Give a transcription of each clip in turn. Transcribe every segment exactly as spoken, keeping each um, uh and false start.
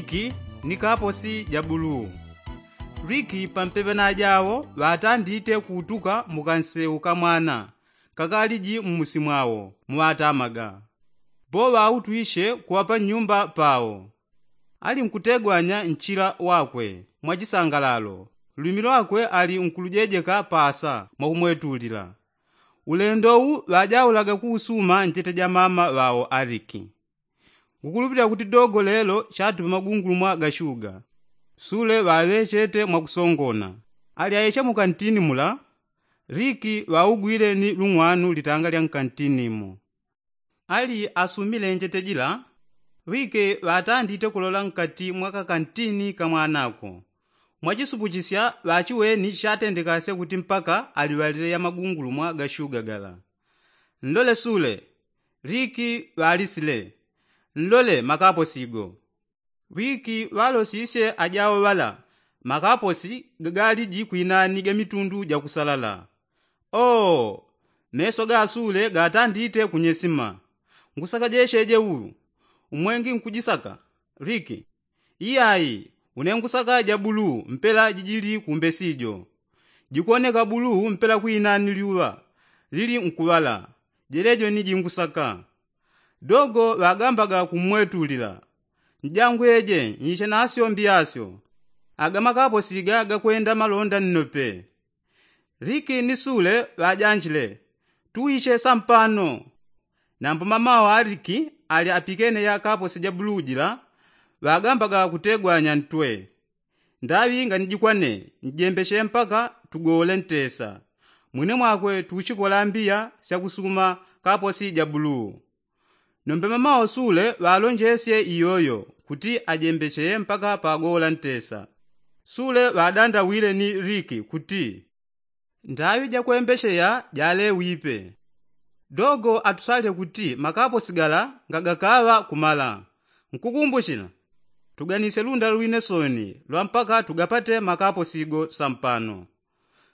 Riki ni kaposi ja buluu. Riki pampepe na ajawo ŵatandite kuutuka mu kansewu ka mwana kakaliji mmusi mwawo muŵatamaga. Bo ŵautwishe kuŵapa nnyumba pawo. Ali nkutegwanya nchila wakwe mwa chisangalalo. Lwimi lwakwe ali nkulujejeka paasa mwakumwetulila. Ulendo uwu ŵajaulaga kuusuma njete ja mama ŵawo ariki. Ngukulupilila kuti dogo lelo chatupa magungulumwa ga shuga. Sule ŵaŵechete mwakusongona. Ali ayeche mu kantini mula. Riki ŵaugwile ni lung'wanu litanga lya nkantini mo. Ali asumile njete jila, riki ŵatandite kulola nkati mwa kakantini ka mwanako. Mwachisupuchisya ŵachiweni chatendekasya kuti mpaka aliŵalile ya magungulumwa ga shuga gala. Nlole sule. Riki ŵalisile. Nlole makaposigo. Riki ŵalosisye ajawo ŵala makaposi gagaliji kwinani ga mitundu ja kusalala. Oo, meso ga sule gatandite kunyesima. Ngusaka jecheje uyu. Umwengi nkujisaka. Riki. Iyayi. Une ngusaka ja buluu mpela jijili kumbesijo. Jikuwoneka buluu mpela kwinani lyuŵa lili nkuŵala. Jelejo ni jingusaka. Dogo ŵagambaga kummwetulila. Njangweje nyiche nasyo mbiyasyo. Aga makaposiga gakwenda malonda nnope. Riki ni sule ŵajanjile. Tuwiche sampano. Nambo mama wa riki ali apikene ya kaposi ja buluu jila. Ŵagambaga kutegwanya ntwe. Ndaŵi nganijikwane njembeche mpaka tugowole ntesa. Mwine mwakwe tuchikola mbiya syakusuma kaposi ja buluu. Nombe mama wa sule ŵalonjesye iyoyo kuti ajembecheye mpaka pagowola ntesa. Sule ŵadandawile ni riki kuti ndaŵi jakwembecheya jalewipe. Dogo atusalile kuti makaposi gala ngagakaŵa kumala. Nkukumbuchila. Tuganisye lunda lwine soni lwa mpaka tugapate makaposigo sampano.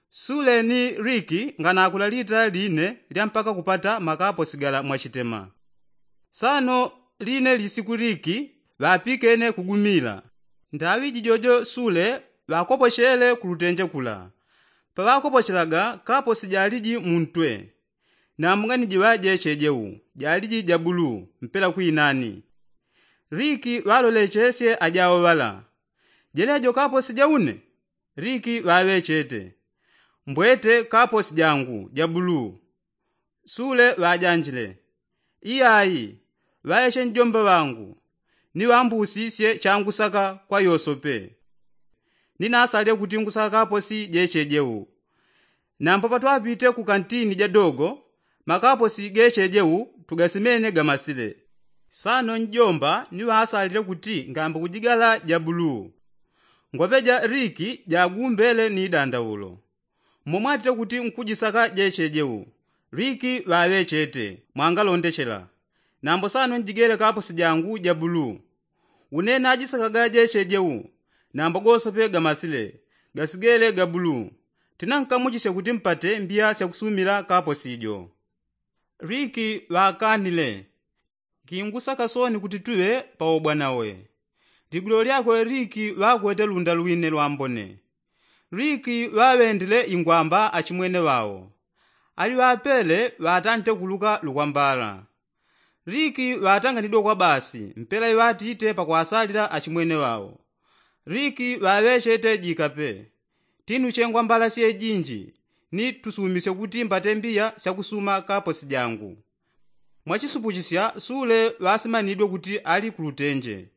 Sule ni riki nganakula lita line lya mpaka kupata makaposi gala mwachitema. Sano line lisiku riki ŵapikene kugumila. Ndaŵi jijojo sule ŵakopochele kulutenje kula. Paŵakopochelaga kaposi jaliji muntwe. Nambo nganijiŵa jecheje u jaliji ja buluu mpela kwinani. Riki ŵalolechesye ajawo ŵala. Jelejo kaposi ja une? Riki ŵaŵechete. Mbwete kaposi jangu ja buluu. Sule ŵajanjile. Iyayi. Ŵayeche njomba ŵangu. Ni ŵambusisye changusaka kwa yosope. Ni nasalile kuti ngusaka kaposi jecheje u. Nambo patwapite ku kantini ja dogo makaposi gecheje u tugasimene gamasile. Sano njomba ni ŵasalile kuti ngambe kujigala ja buluu. Ngwaŵeja riki jagumbele ni idandaulo. Mmomwatite kuti nkujisaka jecheje u. Riki ŵaŵechete mwangalondechela. Nambo sano njigele kaposi jangu ja buluu. Une najisakaga jecheje u. Nambo gosope gamasile gasigele ga buluu. Tinankamuchisye kuti mpate mbiya syakusumila kaposi jo. Riki ŵakanile. Nkingusaka soni kuti tuŵe paubwanawe. Ligwilo lyakwe riki ŵakwete lunda lwine lwambone. Riki ŵaŵendile ingwamba achimwene ŵao. Ali ŵapele ŵatante kuluka lukwambala. Riki ŵatanganidwe kwa basi mpela iŵatite pakwasalila achimwene ŵao. Riki ŵaŵechete jikape. Tinuche ngwambala syejinji ni tusumisye kuti mbate mbiya syakusuma kaposi jangu. Mwachisupuchisya sule ŵasimanidwe kuti ali kulutenje.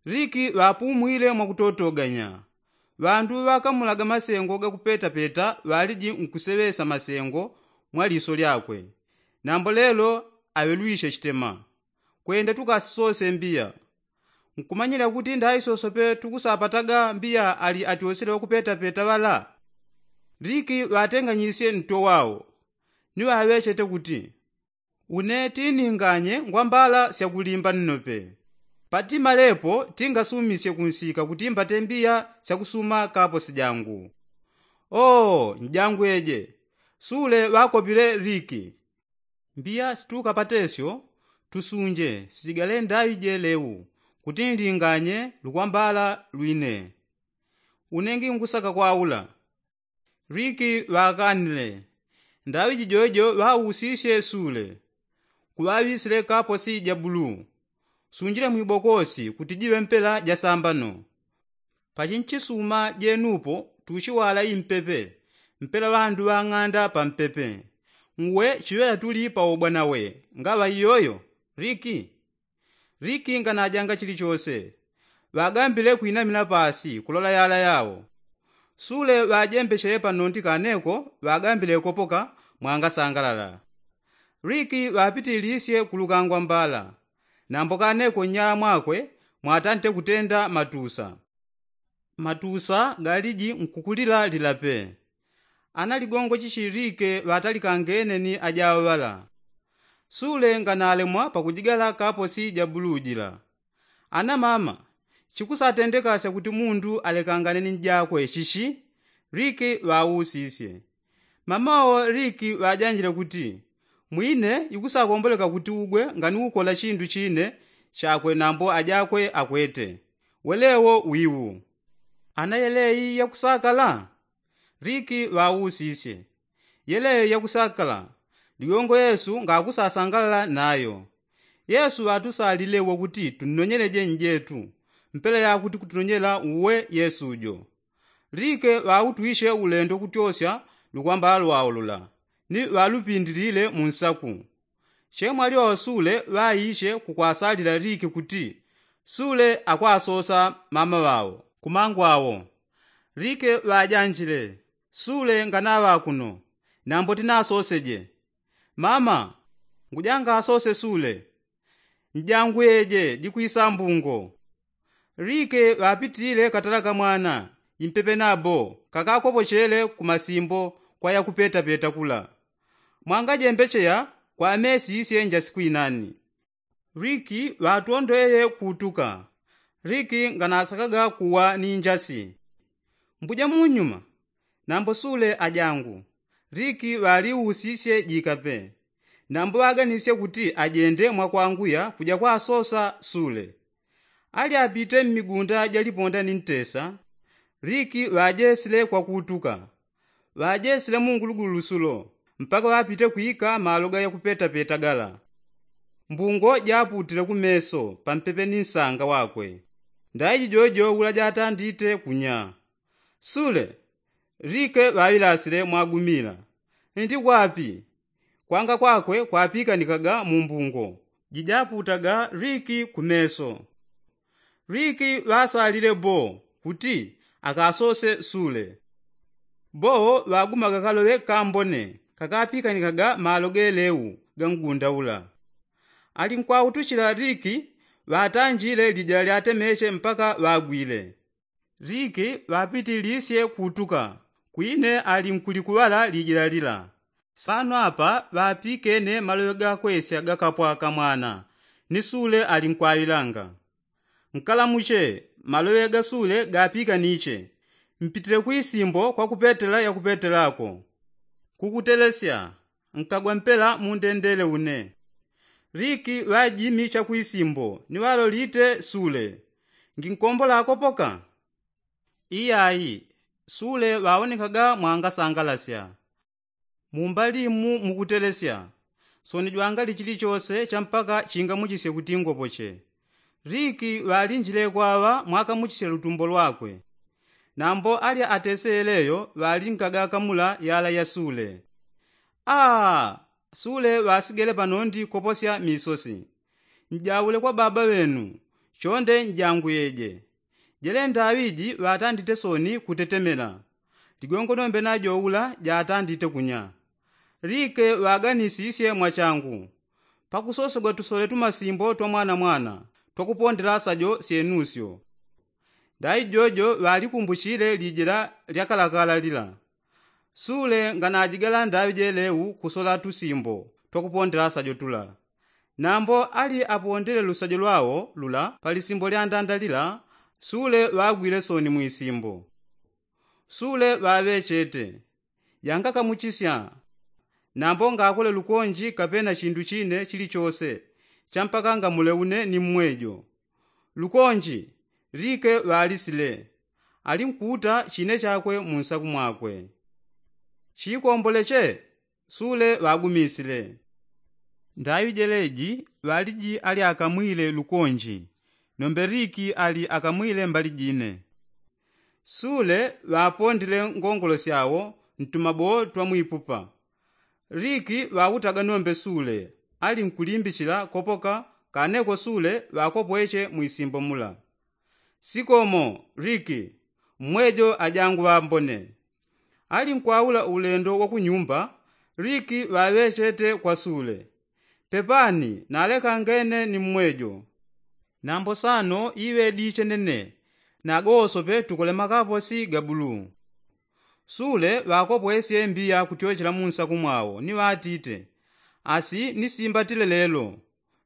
Riki ŵapumwile mwakutotoganya. Ŵandu ŵakamulaga masengo gakupetapeta ŵaliji nkuseŵesa masengo mwa liso lyakwe. Nambo lelo aŵelwishe chitema. Kwenda tukasisose mbiya. Nkumanyila kuti ndaisosope tukusapataga mbiya ali atyosile ŵakupetapeta ŵala. Riki ŵatenganyisye nto wao. Ni ŵaŵechete kuti une tininganye ngwambala syakulimba nnope. Patimalepo tingasumisye kunsika kuti mbate mbiya syakusuma kaposi jangu. Oo njangweje. Sule ŵakopile riki. Mbiya situkapatesyo tusunje sijigale ndaŵi jeleu. kuti nlinganye lukwambala lwine. Une nginkusaka kwaula. Liki ŵakanile. Ndaŵi jijojo ŵausisye sule. Kuŵaŵisile kaposi ja buluu. Sunjile mwibokosi kuti jiŵe mpela ja sambano. Pachinchisuma jenupo tuchiwala impepe. Mpela ŵandu ŵang'anda pampepe. Ngwe chiŵela tuli paubwanawe ngaŵa iyoyo? Liki. Liki nganajanga chilichose. Ŵagambile kwinamila pasi kulola yala yao. Sule ŵajembechele panondi kaneko ŵagambile kopoka. Mwangasangalala. Liki ŵapitilisye kulukangwa mbala. Nambo kaneko nnyala mwakwe mwatante kutenda matusa. Matusa galiji nkukulila lila pe. Ana ligongo chichilike ŵatalikangene ni ajaŵala. Sule nganalemwa pakujigala kaposi ja buluu jila. Ana mama, chikusatendekasya kuti mundu alekangane ni njakwe chichi? Liki ŵausisye. Mama wo liki ŵajanjile kuti, mwine ikusakomboleka kuti ugwe nganiukola chindu chine chakwe nambo ajakwe akwete. Welewo wiwu. Ana yeleyi yakusakala? Liki ŵausisye. Yeleyo yakusakala. Ligongo yesu ngakusasangalala nayo. Yesu ŵatusalile wo kuti tunonyeleje njetu. Mpela yakuti kutunonyela uwe yesu jo. Liki ŵautwishe ulendo kutyosya lukwambala lwao lula. Ni ŵalupindilile munsaku. Chemwali ŵaŵasule ŵaishe kukwasalila liki kuti sule akwasosa mama ŵao. Kumangwao. Liki ŵajanjile. Sule nganaŵa kuno. Nambo tinasoseje. Mama, ngujangasose sule. Njangweje jikwisa mbungo. Liki ŵapitile katala kamwana. Impepe nabo kakakopochele kumasimbo kwa yakupetapeta kula. Mwangajembecheya kwamesisye njasi kwinani. Liki ŵatondweye kutuka. Liki nganasakaga kuwa ni njasi. Mbuja munyuma. Nambo sule ajangu. Liki ŵaliusisye jika pe. Nambo ŵaganisye kuti ajende mwakwanguya kuja kwasosa sule. Ali apite mmigunda jaliponda ni ntesa. Liki ŵajesile kwakutuka. Ŵajesile mungulugulu lusulo mpaka ŵapite kwika malo ga yakupetapeta gala. Mbungo japutile kumeso pampepe ni nsanga wakwe. Ndaiji jojo ula jatandite kunya. Sule. Liki ŵaŵilasile mwagumila. Nti kwapi? Kwanga kwakwe kwapikanikaga mumbungo. Jijaputaga liki kumeso. Liki ŵasalile bo kuti akasose sule. Bo ŵagumaga kaloŵe kambone kakapikanikaga malo geleu ga ngunda ula. Alinkwautuchila liki ŵatanjile lijila lyatemeche mpaka ŵagwile. Liki ŵapitilisye kutuka. Kwine alinkulikuŵala lijila lila. Sano apa ŵapikene maloŵe gakwesya gakapwa kamwana. Ni sule alinkwawilanga. Nkalamuche. Maloŵe gasule gapikaniche. Mpitile kwisimbo kwakupetela yakupetelako. Kukutelesya. Nkagwa mpela mundendele une. Liki ŵajimicha kwisimbo ni ŵalolite sule. Nginkombola akopoka? Iyayi. Sule ŵawonekaga mwangasangalasya. Mumbali mu mukutelesya. Soni jwangali chilichose champaka chingamuchisye kuti ngopoche. Liki ŵalinjile kwaŵa mwakamuchisye lutumbo lwakwe. Nambo alya atese yeleyo ŵalinkaga kamula yala ya sule. Aa. Sule ŵasigele panondi koposya misosi. Njaule kwa baba ŵenu. Chonde njanguyeje. Jele ndaŵiji ŵatandite soni kutetemela. Ligongo nombe najo ula jatandite kunya. Liki ŵaganisisye mwachangu. Pakusosegwa tusole tumasimbo twa mwanamwana twakupondela sajo syenusyo. Ndaijojo ŵalikumbuchile lijila lyakalakala lila. Sule nganajigala ndaŵi jeleu kusola tusimbo twakupondela sajo tula. Nambo ali apondele lusajo lwao lula palisimbo lyandanda lila. Sule ŵagwile soni mwisimbo. Sule ŵaŵechete. Yangakamuchisya. Nambo ngakole lukonji kapena chindu chine chilichose champaka ngamule une ni mmwejo. Lukonji, rike ŵalisile, ali nkuuta chine chakwe munsaku mwakwe. Chikomboleche, sule ŵagumisile. Ndaŵi jeleji ŵaliji ali akamwile lukonji, nombe riki ali akamwile mbali jine. Sule ŵapondile ngongolo syawo ntumaboo twa mwipupa. Riki ŵautaga nombe sule, ali nkulimbichila kopoka kaneko sule ŵakopweche mwisimbo mula. Sikomo, riki, mmwejo ajangu ŵambone. Ali nkwaula ulendo wa kunyumba, riki ŵaŵechete kwa sule. Pepani nalekangene ni mmwejo. Nambo sano iŵediche nene, nagosope tukole makaposi ga buluu. Sule ŵakopwesye mbiya kutyochela munsaku mwao ni ŵatite, asi nisimbatile lelo.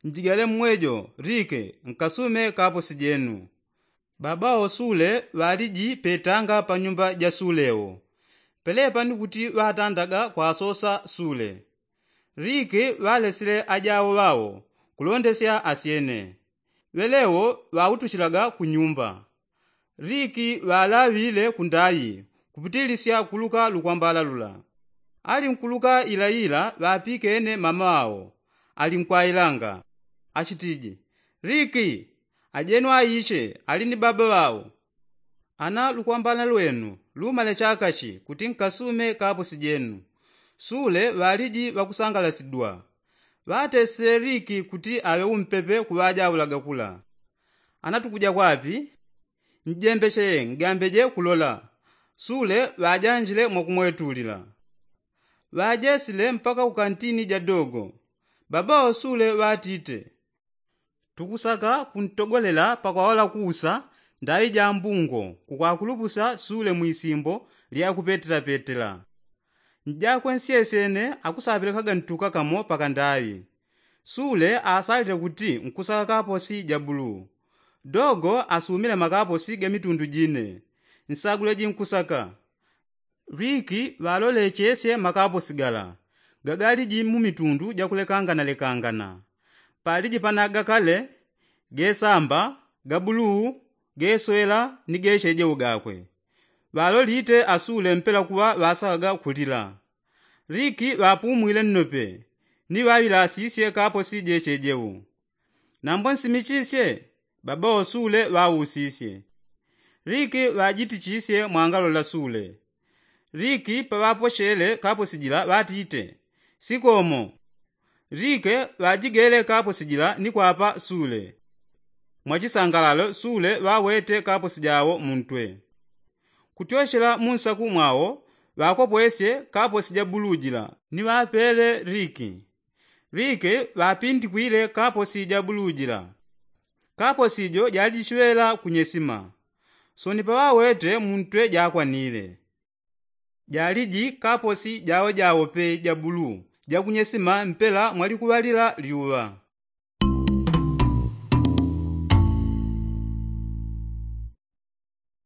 Njigale mmwejo, rike, nkasume kaposi jenu. Baba o sule ŵaliji petanga pa nyumba ja sule wo. Pelepa ni kuti ŵatandaga kwasosa sule. Riki ŵalesile ajawo ŵao kulondesya asyene. Ŵelewo ŵautuchilaga ku nyumba. Riki ŵalaŵile kundaŵi kupitilisya kuluka lukwambala lula. Ali nkuluka ilaila ŵapikene mama ŵao, ali nkwailanga, achitiji, riki, ajenu aiche ali ni baba ŵao. Ana lukwambala lwenu lumale chakachi kuti nkasume kaposi jenu? Sule ŵaliji ŵakusangalasidwa. Ŵatesile riki kuti aŵe umpepe kuŵajaulaga kula. Ana tukuja kwapi? Njembechele ngambeje kulola. Sule ŵajanjile mwakumwetulila. Ŵajesile mpaka kukantini ja dogo. Baba o sule ŵatite, tukusaka kuntogolela pakwaola kuusa ndaŵi ja mbungo kukwakulupusya sule mwisimbo lya kupetelapetela. Njakwe nsyesyene akusapelekaga ntuka kamo pakandaŵi. Sule asalile kuti nkusaka kaposi ja buluu. Dogo asumile makaposi ga mitundu jine. Nsaguleji nkusaka. Riki ŵalolechesye makaposi gala gagaliji mu mitundu jakulekanganalekangana. Paliji pana gakale, gesamba, gabuluu, geswela ni gechejewo gakwe. Ŵalolite asule mpela kuŵa ŵasakaga kulila. Riki ŵapumwile nnope ni ŵaŵilasisye kaposi jechejewo. Nambo nsimichisye? Baba o sule ŵausisye. Riki ŵajitichisye mwangalola sule. Riki paŵapochele kaposi jila ŵatite, sikomo. Riki ŵajigele kaposi jila ni kwapa sule. Mwachisangalalo sule ŵawete kaposi jawo muntwe. Kutyochela munsaku mwao ŵakopwesye kaposi ja buluu jila ni ŵapele riki. Riki ŵapindikwile kaposi ja buluu jila. Kaposi jo jalijichiŵela kunyesima. Soni paŵawete muntwe jakwanile. Jaliji kaposi jawo jawo pe ja buluu jakunyesima mpela mwalikuŵalila lyuŵa.